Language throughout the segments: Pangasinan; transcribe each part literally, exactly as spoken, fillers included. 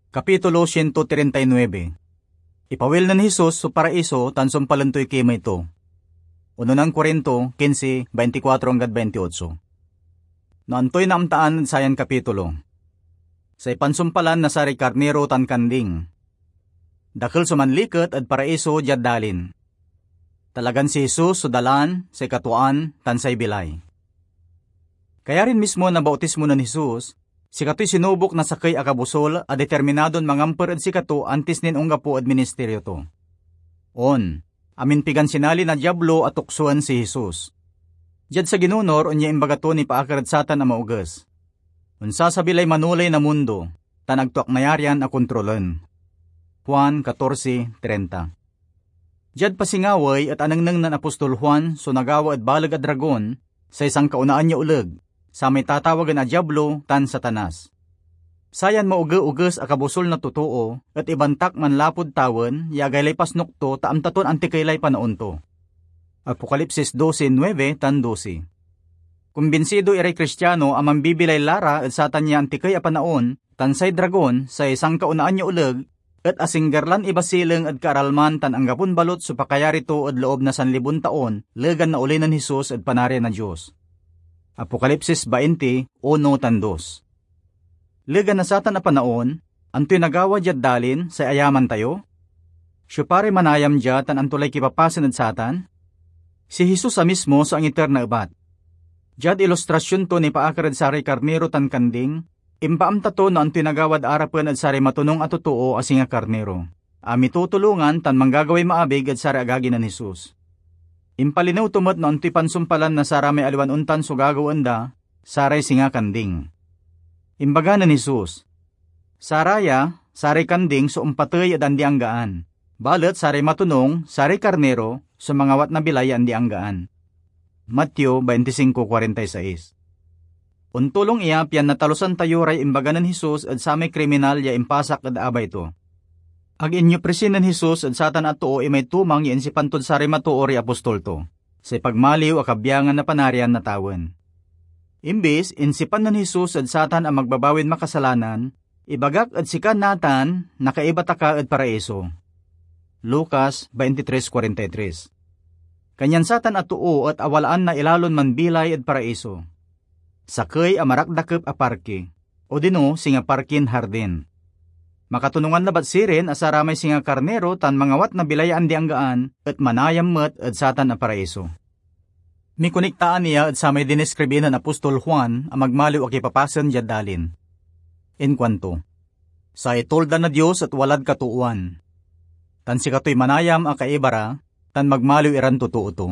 Kapitulo siento treinta y nuebe. Ipawil nen Jesus so paraiso tan sumpalen toy kimey to. Unonan Corinto quince, veinticuatro anggad veintiocho. No antoy naamtaan ed sayan kapitulo? Say pansumpalan na saray karniro tan kanding. Dakel so manliket ed paraiso diad dalin. Talagan si Jesus so dalan, say katuaan, tan say bilay. Kayarin mismo na bautismo nen Jesus, sikatoy sinubok na sakey a kabusol a determinadon mangampor ed sikato antis nin onggapo ed ministerio to. On, amin pigan sinali na Diablo a tuksoen si Jesus. Diad saginunor, onya imbaga to nipaakar ed satan a maoges. Onsasabi lay manoley na mundo, tan ag to ak nayarian a kontrolen. Juan catorce treinta. Diad pasingawey et anengneng nen apostol Juan so nagawa ed baleg a dragon, say sankaonaan ya oleg, samay tatawagen a Diablo tan Satanas. Sayan maoge-oges a kabusol na totoo et ibantak manlapud tawen ya agaylay pasnok to ta amta ton antikey lay panaon to. Apokalipsis doce nuebe tan doce. Kumbinsido iray Kristiano a mambibilay la ra ed satan ya antikey a panaon, tan say dragon, say sankaonaan ya oleg, et asingger lan ibasileng ed kaaralman tan anggapon balot so pakayari to ed loob na sanlibon taon, legan naoli nen Jesus ed Panarian na Dios. Apokalipsis bainti, uno tan dos. Legan na satan a panaon, antoy nagawa diad dalin, say ayaman tayo? Siopa ray manayam dia tan anto lay kipapasen ed satan? Si Jesus a mismo so angiter na ebat. Diad ilustrasyon to nipaakar ed saray karniro tan kanding, impaamta to no antoy nagawad arapen ed saray matonung a totoo a singa karniro, a mitutulongan tan manggagaway maabig ed saray agagi nen Jesus. Impalinew to met no antoy pansumpalan na saramay aliwan ontan so gagawaen da, saray singa kanding. Imbaga nen Jesus, "Saraya, saray kanding so ompatey ed andi-anggaan, balet saray matonung, saray karniro, so mangawat na bilay ya andi-anggaan." Mateo veinticinco cuarenta y seis. Ontulong iya pian natalusan tayo ray imbaga nen Jesus ed samay kriminal ya impasak ed abay to. Ag inyoprisi nen Jesus ed satan a too imay tumang ya insipan tod saray matoor ya apostol to, say pagmaliw a kabiangan na Panarian na tawen. Imbis, insipan nen Jesus ed satan a magbabawin makasalanan, "Ibagak ed sika natan, nakaiba ta ka ed paraiso." Lucas veintitrés cuarenta y tres. Kanyan satan a too et awalaan na ilalon manbilay ed paraiso. Sakey a marakdakep a parki, odino singa parkin hardin. Makatonungan labat sirin a saramay singa karniro tan mangawat na bilay ya andi-anggaan et manayam met ed satan a paraiso. Mikoniktaan iya ed samay diniskribi nen apostol Juan a magmaliw a kipapasen diad dalin. Inkuanto, "Say Tulda na Dios et walad katoowan, tan sikatoy manayam a kaiba ra, tan magmaliw iran totoo to.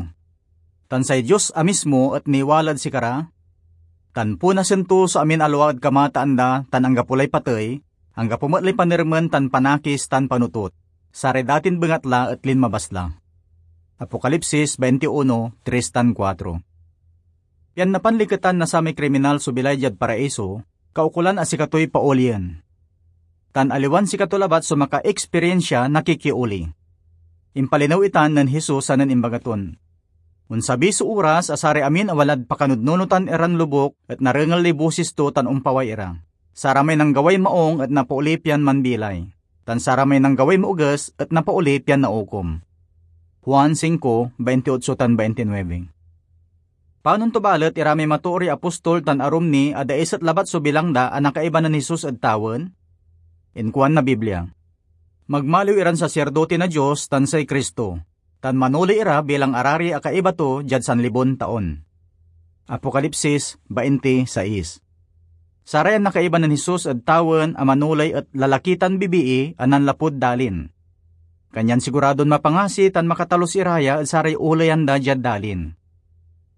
Tan say Dios a mismo et niwalad sikara, tan punasen to so amin a lua ed kamataan da tan anggapo lay patey, anggapo met lay panermen tan panakis tan panotot. Saray datin bengatla et linmabas la." Apokalipsis veintiuno, tres tan kuatro. Pian napanliketan na samay kriminal so bilay diad paraiso, kaukolan a sikatoy paolien. Tan aliwan sikato labat so makaekspiriensia na kikioli. Impalinew itan nen Jesus sanen imbaga ton, "Onsabi so oras a saray amin a walad pakanudnunotan iran lobuk et narengel lay bosis to tan ompaway ira. Saramay nanggaway maong et napaoli pian manbilay, tan saramay nanggaway maoges et napaoli pian naukom." Juan cinco, veintiocho tan veintinuebe. Panon to balet iramay matoor ya apostol tan arum ni a daiset labat so bilang da a nakaiba nen Jesus ed tawen? Inkuan na Biblia, "Magmaliw iran sasirdote na Dios tan say Cristo, tan manoley ira bilang arari a kaiba to diad sanlibon taon." Apokalipsis bainti sais. Sarayan nakaiba nen Jesus ed tawen a manoley et lalaki tan bibii a nanlapud dalin. Kanyan siguradon mapangasi tan makatalus ira ya ed saray oleyan da diad dalin.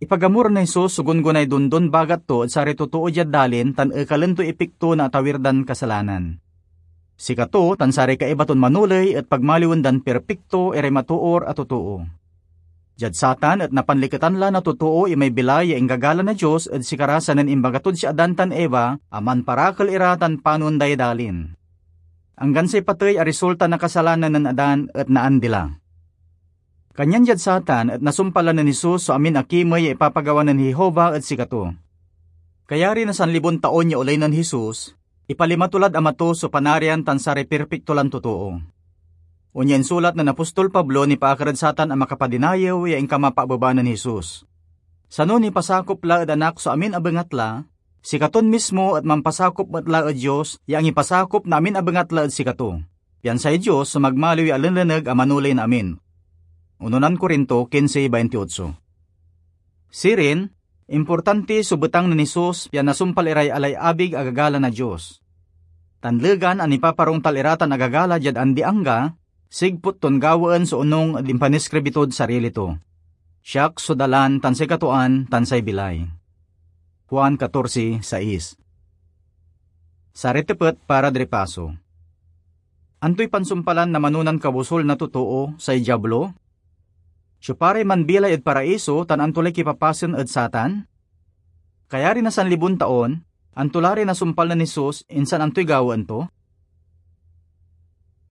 Ipagamur nen Jesus so gunggonay dondon bagat to ed saray totoo diad dalin tan ekalen toy epikto na atawir dan kasalanan. Sikato tan saray kaiba ton manoley et pagmaliwen dan pirpikto iray matoor a totoo. Diad satan et napanliketan la na totoo imay bilay ya inggagalang na Dios ed sikara sanen imbaga tod si Adan tan Eva a manparakel ira tan panon day dalin. Anggan say patey a risulta na kasalanan nen Adan et naandi la. Kanyan diad satan et nasumpal la nen Jesus so amin a kimey ya ipapagawa nen Jehovah ed sikato. Kayari na sanlibon taon ya oley nen Jesus, Ipalima to lad Ama to so Panarian tan saray pirpikto lan totoo. Onya insulat nen apostol Pablo nipaakar ed satan a makapadinayew ya inkamapabeba nen Jesus. Sano nipasakop la ed Anak so amin a bengatla, sikaton mismo et mampasakop met la ed Dios ya angipasakop na amin a bengatla ed sikato, pian say Dios so magmaliw ya alenleneg a manoley na amin. Unonan Corinto quince veintiocho. Sirin, importanti so betang nen Jesus pian nasumpal iray alay abig a gagala na Dios. Tan legan a nipaparongtal ira tan agagala diad andi-angga, sigput ton gawaen so onung ed impaniskribi tod sarili to. "Siak so dalan tan sikatoan tan say bilay." Juan catorce seis. Saray tepet para ed ripaso. Antoy pansumpalan na manonan kabusol na totoo, say Diablo? Siopa ray manbilay ed Paraiso tan anto lay kipapasen ed satan? Kayari na sanlibon taon, anto la ray nasumpal nen Jesus, insan antoy gawaen to?